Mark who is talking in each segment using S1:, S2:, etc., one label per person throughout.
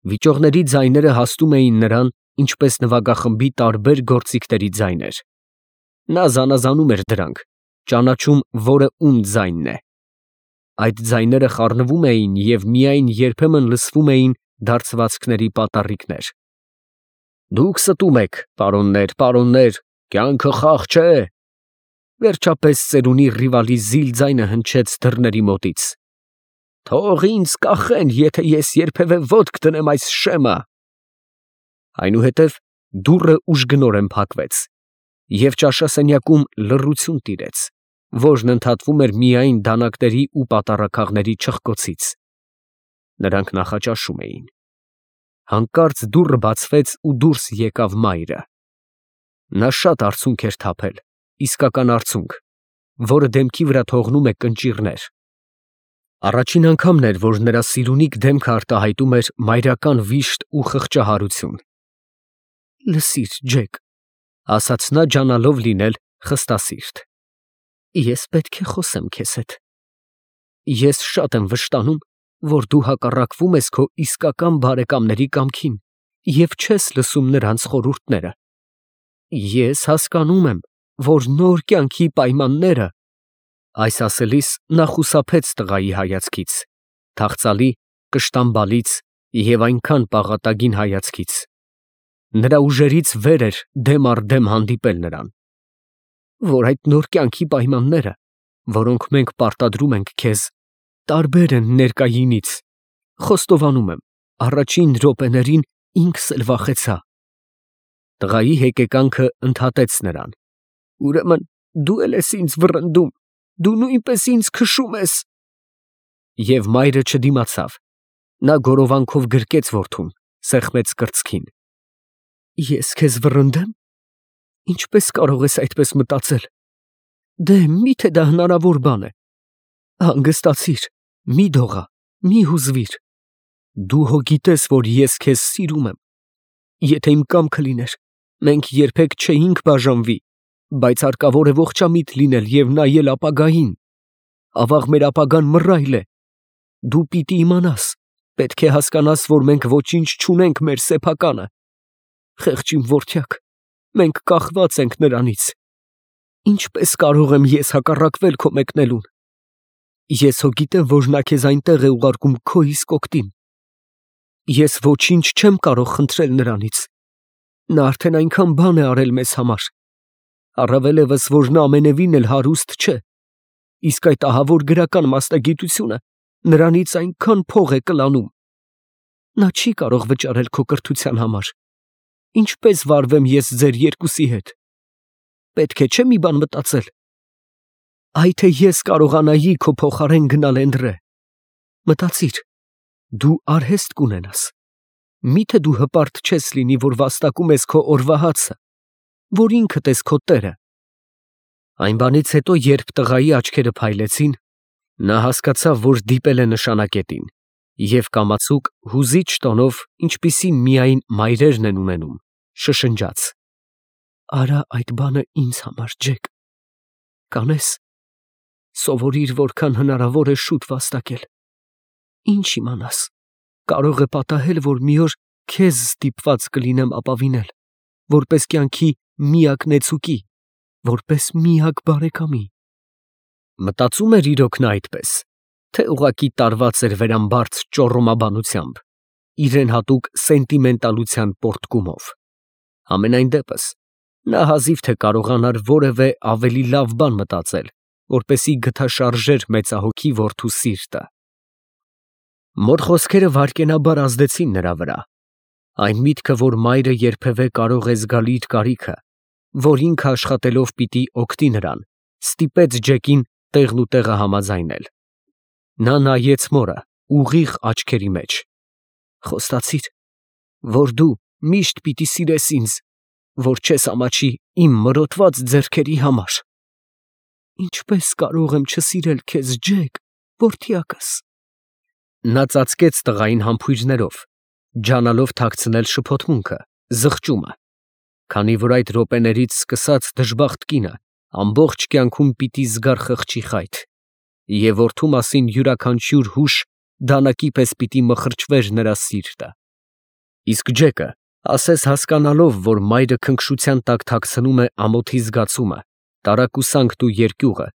S1: Վիճողների ձայները հասնում էին նրան, ինչպես նվագախմբի տարբեր գործիքների ձայներ։ Նա զանազանում էր դրանք, ճանաչում, որը ում ձայնն է։ Այդ ձայները խառնվում էին և միայն երբեմն լսվում էին դարձվածքների պատառիկներ։ Դուք ստում եք, պարոններ, կյանքը խաղ չէ։ Վերջապես ծերունի Ռիվալի ձայնը հնչեց դռների մոտից։ Թող ինձ կախեն, եթե ես երբևէ ոտք դնեմ այս շեմը։ Այնուհետև դուռը ուժգնորեն փակվեց, և ճաշասենյակում լռություն տիրեց, որն ընդհատվում էր միայն դանակաների ու պատառաքաղների չխկոցից։ Նրանք նախաճաշում էին։ Հանկարծ դուռը բացվեց ու դուրս եկավ մայրը։ Նա շատ արցունք էր թափել, իսկական արցունք, որը դեմքի վրա թողնում է կնճիռներ։ Առաջին անգամն էր, որ նրա սիրունիկ դեմքը արտահայտում էր մայրական վիշտ ու խղճահարություն։ Լսիր, Ջեք, ասաց նա, ջանալով լինել խստասիրտ, ես պետք է խոսեմ քեզ հետ։ Ես շատ եմ վշտանում, որ դու հակառակվում ես քո իսկական բարեկամների կամքին և չես լսում նրանց խորհուրդները։ Ես հասկանում եմ, որ նոր կյանքի պայմանները… Այս ասելիս նա խուսափեց տղայի հայացքից, թախծալի, կշտամբալից և այնքան պաղատագին հայացքից։ Նրա ուժերից վեր էր դեմ առ դեմ հանդիպել նրան։ Որ այդ նոր կյանքի պայմանները, որոնք մենք պարտադրում ենք քեզ, տարբեր են ներկայինից։ Խոստովանում եմ, առաջին րոպեներին ինքս էլ վախեցա։ Տղայի հեկեկանքը ընդհատեց նրան։ Ուրեմն դու էլ ես ինձ վռնդում, դու նույնպես ինձ քշում ես… Եվ մայրը չդիմացավ։ Նա գորովանքով գրկեց որդուն, սեղմեց կրծքին։ Ես քեզ վռնդե՞մ… Ինչպես կարող ես այդպես մտածել… Դե, մի՞թե դա հնարավոր բան է… Հանգստացիր, մի դողա, մի հուզվիր… Դու հո գիտես, որ ես քեզ սիրում եմ… Եթե իմ կամքը լիներ, մենք երբեք չէինք բաժանվի, բայց հարկավոր է ողջամիտ լինել և նայել ապագային… Ավաղ մեր ապագան մռայլ է… Դու պիտի իմանաս, պետք է հասկանաս, որ մենք ոչինչ չունենք մեր սեփականը… Խեղճ իմ որդյակ, մենք կախված ենք նրանից… Ինչպես կարող եմ ես հակառակվել քո մեկնելուն… Ես հո գիտեմ, որ նա քեզ այնտեղ է ուղարկում քո իսկ օգտին… Ես ոչինչ չեմ կարող խնդրել նրանից… Նա արդեն այնքան բան է արել մեզ համար… Առավել ևս, որ նա ամենևին էլ հարուստ չէ… Իսկ այդ ահավոր գրական մասնագիտությունը նրանից այնքան փող է կլանում… Նա չի կարող վճարել քո կրթության համար… Ինչպե՞ս վարվեմ ես ձեր երկուսի հետ… Պետք է չէ՞ մի բան մտածել… Այ թե ես կարողանայի քո փոխարեն գնալ Էնդրե… Մտածիր, դու արհեստ կունենաս… Մի՞թե դու հպարտ չես լինի, որ վաստակում ես քո օրվա հացը, որ ինքդ ես քո տերը… Այն բանից հետո, երբ տղայի աչքերը փայլեցին, նա հասկացավ, որ դիպել է նշանակետին, և կամացուկ, հուզիչ տոնով, ինչպիսին միայն մայրերն են ունենում, շշնջաց. Արա այդ բանը ինձ համար, Ջեք… Կանես… Սովորիր, որքան հնարավոր է շուտ վաստակել… Ինչ իմանաս, կարող է պատահել, որ մի օր քեզ ստիպված կլինեմ ապավինել, որպես կյանքի միակ նեցուկի, որպես միակ բարեկամի… Մտածում էր իրոք նա այդպես, թե ուղղակի տարված էր վերամբարձ ճոռոմաբանությամբ, իրեն հատուկ սենտիմենտալության պոռթկումով… Համենայն դեպս, նա հազիվ թե կարողանար որևէ ավելի լավ բան մտածել, որպեսզի գթաշարժեր մեծահոգի որդու սիրտը… Մոր խոսքերը վայրկենաբար ազդեցին նրա վրա… Այն միտքը, որ մայրը երբևէ կարող է զգալ իր կարիքը, որ ինքը աշխատելով պիտի օգտի նրան, ստիպեց Ջեկին տեղնուտեղը համաձայնել… Նա նայեց մորը ուղիղ աչքերի մեջ… Խոստացի՞ր, որ դու միշտ պիտի սիրես ինձ, որ չես ամաչի իմ մրոտված ձեռքերի համար… Ինչպես կարող եմ չսիրել քեզ, Ջեք, որդյակս… Նա ծածկեց տղային համբույրներով, ջանալով թաքցնել շփոթմունքը, զղջումը, քանի որ այդ րոպեներից սկսած դժբախտ կինը ամբողջ կյանքում պիտի զգար խղճի խայթ, և որդու մասին յուրաքանչյուր հուշ դանակի պես պիտի մխրճվեր նրա սիրտը… Իսկ Ջեկը, ասես հասկանալով, որ մայրը քնքշության տակ թաքցնում է ամոթի զգացումը, տարակուսանքն ու երկյուղը,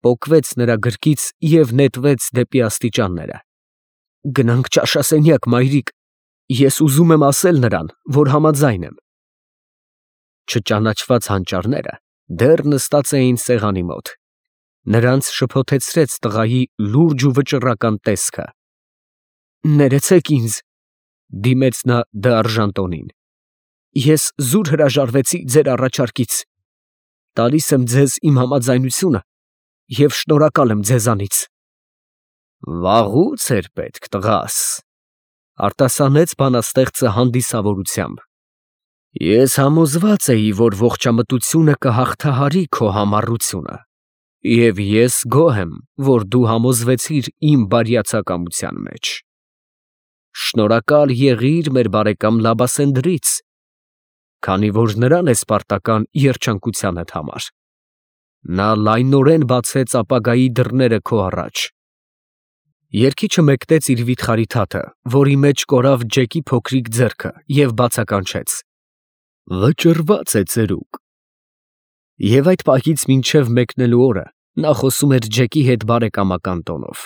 S1: պոկվեց նրա գրկից և նետվեց դեպի աստիճանները։ «Գնանք ճաշասենյակ, մայրիկ, ես ուզում եմ ասել նրան, որ համաձայն եմ»։ Չճանաչված հանճարները դեռ նստած էին սեղանի մոտ։ Նրանց շփոթեցրեց տղայի լուրջ ու վճռական տեսքը։ «Ներեցեք ինձ», դիմեց նա դարժան տոնին, «ես զուր հրաժարվեցի ձեր առաջարկից։ Տալիս եմ ձեզ իմ համաձայնությունը և շնորհակալ եմ ձեզանից»։ «Վաղուց էր պետք, տղաս», արտասանեց բանաստեղծը հանդիսավորությամբ։ «Ես համոզված էի, որ ողջամտությունը կհաղթահարի քո համառությունը, և ես գոհ եմ, որ դու համոզվեցիր իմ բարյացակամության մեջ։ Շնորհակալ եղիր մեր բարեկամ Լաբասենդրից, քանի որ նրան ես պարտական երջանկությանդ համար. նա լայնորեն բացեց ապագայի դռները քո առաջ»։ Երգիչը մեկնեց իր վիթխարի թաթը, որի մեջ կորավ Ջեկի փոքրիկ ձեռքը, և բացականչեց. «Վճռված է ծերուկ»։ Եվ այդ պահից մինչև մեկնելու օրը նա խոսում էր Ջեկի հետ բարեկամական տոնով։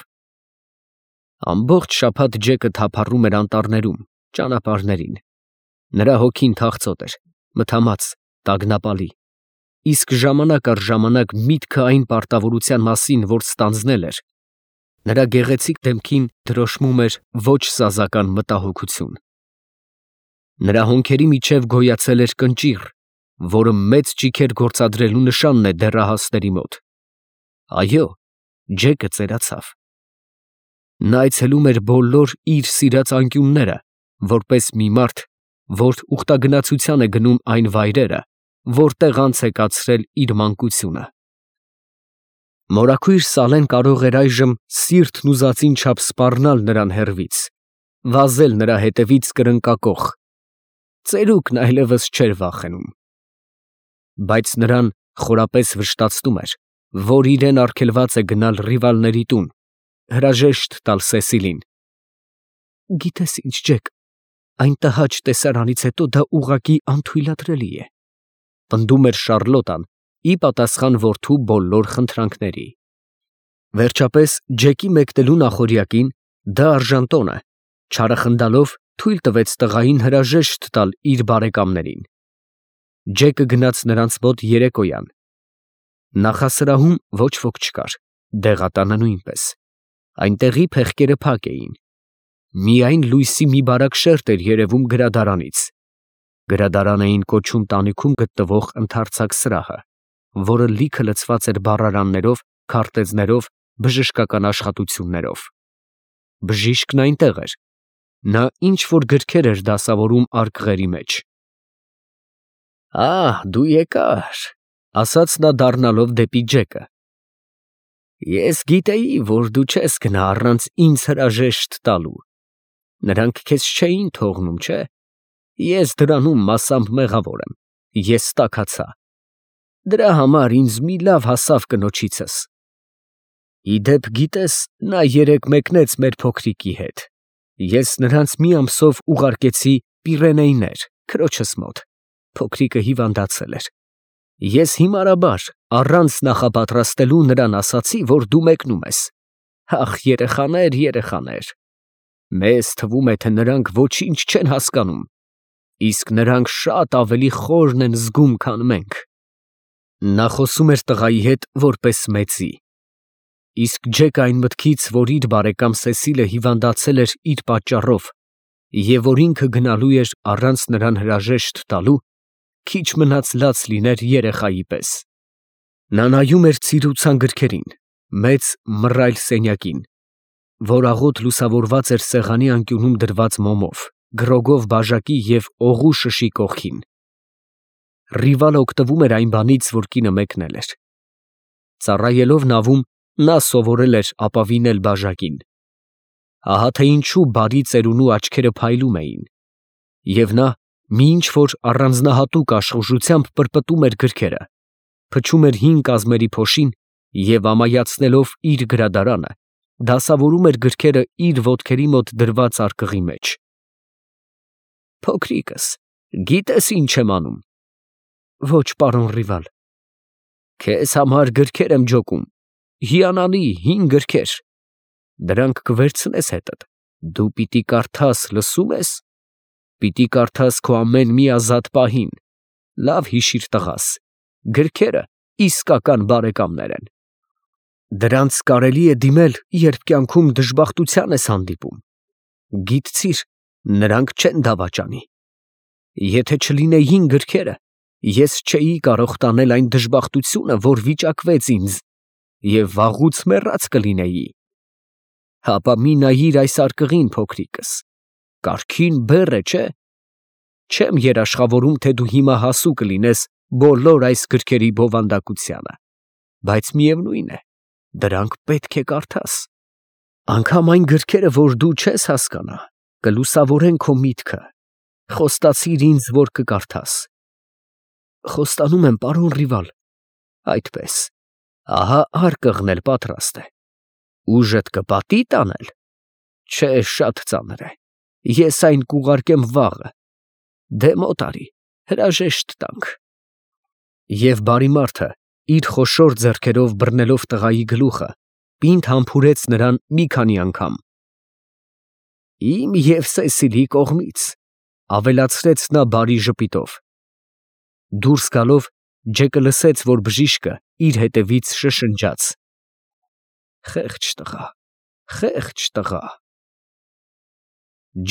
S1: Ամբողջ շաբաթ Ջեկը թափառում էր անտառներում, ճանապարհներին։ Նրա հոգին թախծոտ էր, մթամած, տագնապալի, իսկ ժամանակ առ ժամանակ միտքը այն պարտավորության մասին, որ ստանձնել էր, նրա գեղեցիկ դեմքին դրոշմում էր ոչ սազական մտահոգություն։ Նրա հոնքերի միջև գոյացել էր կնճիռ, որը մեծ ճիգեր գործադրելու նշանն է դեռահասների մոտ։ Այո, Ջեկը ծերացավ։ Նա այցելում էր բոլոր իր սիրած անկյունները, որպես մի մարդ, որ ուխտագնացության է գնում այն վայրերը, որտեղ անց է կացրել իր մանկությունը։ Մորաքույր Սալեն կարող էր այժմ սիրտն ուզածին չափ սպառնալ նրան հեռվից, վազել նրա հետևից կրնկակոխ։ Ծերուկն այլևս չէր վախենում։ Բայց նրան խորապես վշտացնում էր, որ իրեն արգելված է գնալ ռիվալների տուն, հրաժեշտ տալ Սեսիլին։ «Գիտես ինչ, Ջեք, այն տհաճ տեսարանից հետո դա ուղղակի անթույլատրելի է», պնդում էր Շառլոտան, ի պատասխան որդու բոլոր խնդրանքների։ Վերջապես Ջեկի մեկնելու նախօրյակին դա արժանտոնը, չարախնդալով, թույլ տվեց տղային հրաժեշտ տալ իր բարեկամներին։ Ջեկը գնաց նրանց մոտ երեկոյան։ Նախասրահում ոչ ոք չկար, դեղատանը նույնպես։ Այնտեղի փեղկերը փակ էին։ Միայն լույսի մի բարակ շերտ էր երևում գրադարանից։ Գրադարան էին կոչում տանիքում գտնվող ընդարձակ սրահը, որը լիքը լցված էր բառարաններով, քարտեզներով, բժշկական աշխատություններով։ Բժիշկն այնտեղ էր։ Նա ինչ-որ գրքեր էր դասավորում արկղերի մեջ։ Դու եկար, ասաց նա դառնալով դեպի Ջեկը։ Ես գիտեի, որ դու չես գնա առանց ինձ հրաժեշտ տալու։ Նրանք քեզ չէին թողնում, չէ՞։ Ես դրանում մասամբ մեղավոր եմ։ Ես տաքացա։ Դրա համար ինձ մի լավ հասավ կնոջիցս։ Ի դեպ, գիտես, նա երեկ մեկնեց մեր փոքրիկի հետ։ Ես նրանց մի ամսով ուղարկեցի Պիրենեյներ, քրոջս մոտ։ Փոքրիկը հիվանդացել էր։ Ես հիմարաբար, առանց նախապատրաստելու նրան ասացի, որ դու մեկնում ես։ Ախ, երեխաներ, երեխաներ։ Մեզ թվում է, թե նրանք ոչինչ չեն հասկանում, իսկ նրանք շատ ավելի խորն են զգում, քան մենք։ Նա խոսում էր տղայի հետ որպես մեծի։ Իսկ Ջեկը այն մտքից, որ իր բարեկամ Սեսիլը հիվանդացել էր իր պատճառով, և որ ինքը գնալու էր առանց նրան հրաժեշտ տալու, քիչ մնաց լաց լիներ երեխայի պես։ Նա նայում էր ցիրուցան գրքերին, մեծ մռայլ սենյակին, որ աղոտ լուսավորված էր սեղանի անկյունում դրված մոմով, գրոգով բաժակի և օղու շշի կողքին։ Ռիվալը օգտվում էր այն բանից, որ կինը մեկնել էր։ Ծառայելով նավում, նա սովորել էր ապավինել բաժակին։ Ահա թե ինչու բարի ծերունու աչքերը փայլում էին։ Եվ նա մի ինչ-որ առանձնահատուկ աշխուժությամբ պրպտում էր գրքերը, փչում էր հին կազմերի փոշին և ամայացնելով իր գրադարանը, դասավորում էր գրքերը իր ոտքերի մոտ դրված արկղի մեջ։ Փոքրիկս, գիտես ինչ եմ անում։ Ոչ, պարոն Ռիվալ։ Քեզ համար գրքեր եմ ջոկում, հիանալի հին գրքեր։ Դրանք կվերցնես հետդ, դու պիտի կարդաս, լսում ես։ Պիտի կարդաս քո ամեն մի ազատ պահին։ Լավ հիշիր, տղաս, գրքերը իսկական բարեկամներ են։ Դրանց կարելի է դիմել, երբ կյանքում դժբախտության ես հանդիպում։ Գիտցիր, նրանք չեն դավաճանի։ Եթե չլինեին գրքերը, ես չէի կարող տանել այն դժբախտությունը, որ վիճակվեց ինձ, և վաղուց մեռած կլինեի։ Հապա մի նայիր այս արկղին, փոքրիկս, կարգին բեռ է, չէ՞։ Չեմ երաշխավորում, թե դու հիմա հասու կլինես բոլոր այս գրքերի բովանդակությանը, բայց միևնույն է, դրանք պետք է կարդաս։ Անգամ այն գրքերը, որ դու չես հասկանա, կլուսավորեն քո միտքը։ Խոստացիր ինձ, որ կկարդաս։ Խոստանում եմ, պարոն Ռիվալ։ Այդպես, ահա արկղն էլ պատրաստ է։ Ուժդ կպատի տանել։ Չէ, շատ ծանր է։ Ես այն կուղարկեմ վաղը։ Դե մոտ արի, հրաժեշտ տանք։ Եվ բարի մարդը, իր խոշոր ձեռքերով բռնելով տղայի գլուխը, պինդ համբուրեց նրան մի քանի անգամ։ Իմ և Սեսիլի կողմից, ավելացրեց նա բարի ժպիտով։ Դուրս գալով, Ջեկը լսեց, որ բժիշկը իր հետևից շշնջաց. Խեղճ տղա, խեղճ տղա։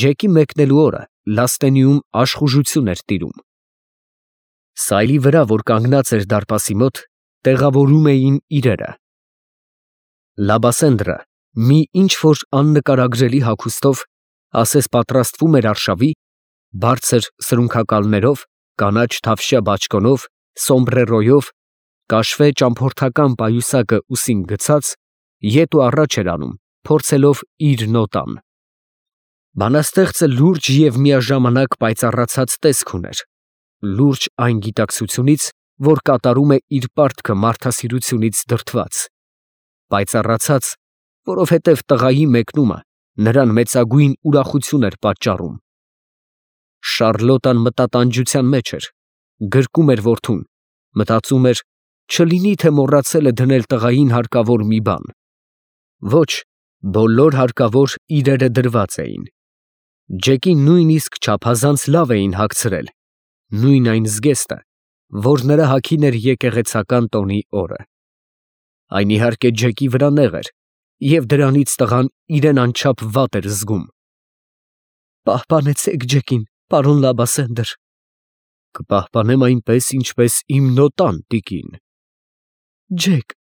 S1: Ջեկի մեկնելու օրը Լաստենիում աշխուժություն էր տիրում։ Սայլի վրա, որ կանգնած էր դարպասի մոտ, տեղավորում էին իրերը։ Լաբասենդրը մի ինչ-որ աննկարագրելի հագուստով, ասես պատրաստվում էր արշավի, բարձր սրունքակալներով, կանաչ թավշյա բաճկոնով, սոմբրերոյով, կաշվե ճամփորդական պայուսակը ուսին գցած, ետ ու առաջ էր անում, փորձելով իր նոտան։ Բանաստեղծը լուրջ և միաժամանակ պայծառացած տեսք ուներ, լուրջ այն գիտակցությունից, որ կատարում է իր պարտքը մարդասիրությունից դրդված, պայծառացած, որովհետև տղայի մեկնումը նրան մեծագույն ուրախություն էր պատճառում։ Շառլոտան մտատանջության մեջ էր, գրկում էր որդուն, մտածում էր, չլինի թե մոռացել է դնել տղային հարկավոր մի բան։ Ոչ, բոլոր հարկավոր իրերը դրված էին։ Ջեկին նույնիսկ չափազանց լավ էին հագցրել, նույն այն զգեստը, որ նրա հագին էր եկեղեցական տոնի օրը։ Այն իհարկե Ջեկի վրա նեղ էր, և դրանից տղան իրեն անչափ վատ էր զգում։ Պահպանեցեք Ջեկին, պարոն Լաբասենդր։ Կպահպանեմ այնպես, ինչպես իմ նոտան, տիկին։ Ջեք։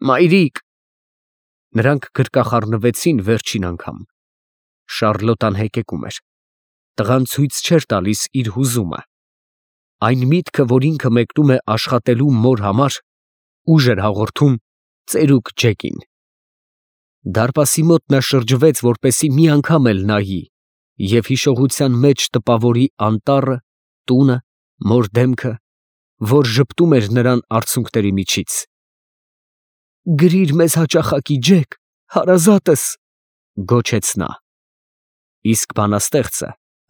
S1: Մայրիկ։ Նրանք գրկախառնվեցին վերջին անգամ։ Շառլոտան հեկեկում էր։ Տղան ցույց չէր տալիս իր հուզումը։ Այն միտքը, որ ինքը մեկնում է աշխատելու մոր համար, ուժ էր հաղորդում ծերուկ Ջեկին։ Դարպասի մոտ նա շրջվեց, որպեսզի մի անգամ էլ նայի, և հիշողության մեջ տպավորի անտառը, տունը, մոր դեմքը, որ ժպտում էր նրան արցունքների միջից։ Գրիր մեզ հաճախակի, Ջեք, հարազատս, գոչեց նա։ Իսկ բանաստեղծը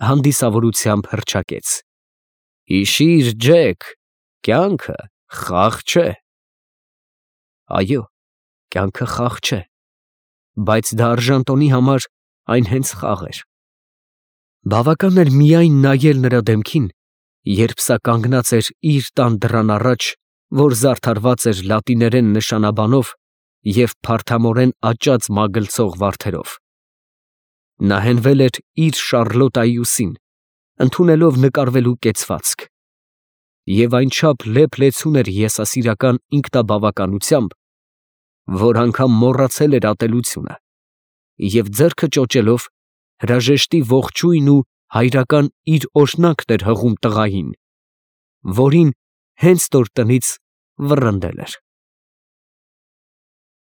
S1: հանդիսավորությամբ հռչակեց. Հիշիր, Ջեք, կյանքը խաղ չէ։ Այո, կյանքը խաղ չէ, բայց դա արժանտոնի համար այն հենց խաղ էր։ Բավական էր միայն նայել նրա դեմքին, երբ սա կանգնած էր իր տան դռան առաջ, որ զարդարված էր լատիներեն նշանաբանով և փարթամորեն աճած մագլցող վարդերով։ Նա հենվել էր իր Շառլոտայի ուսին, ընդունելով նկարվելու կեցվածք։ Եվ այնչափ լեփ-լեցուն էր եսասիրական ինքնաբավականությամբ, որ անգամ մոռացել էր ատելությունը, և ձեռքը ճոճելով հրաժեշտի ողջույն ու հայրական իր օրհնակն էր հղում տղային, որին հենց նոր տնից վռնդել էր։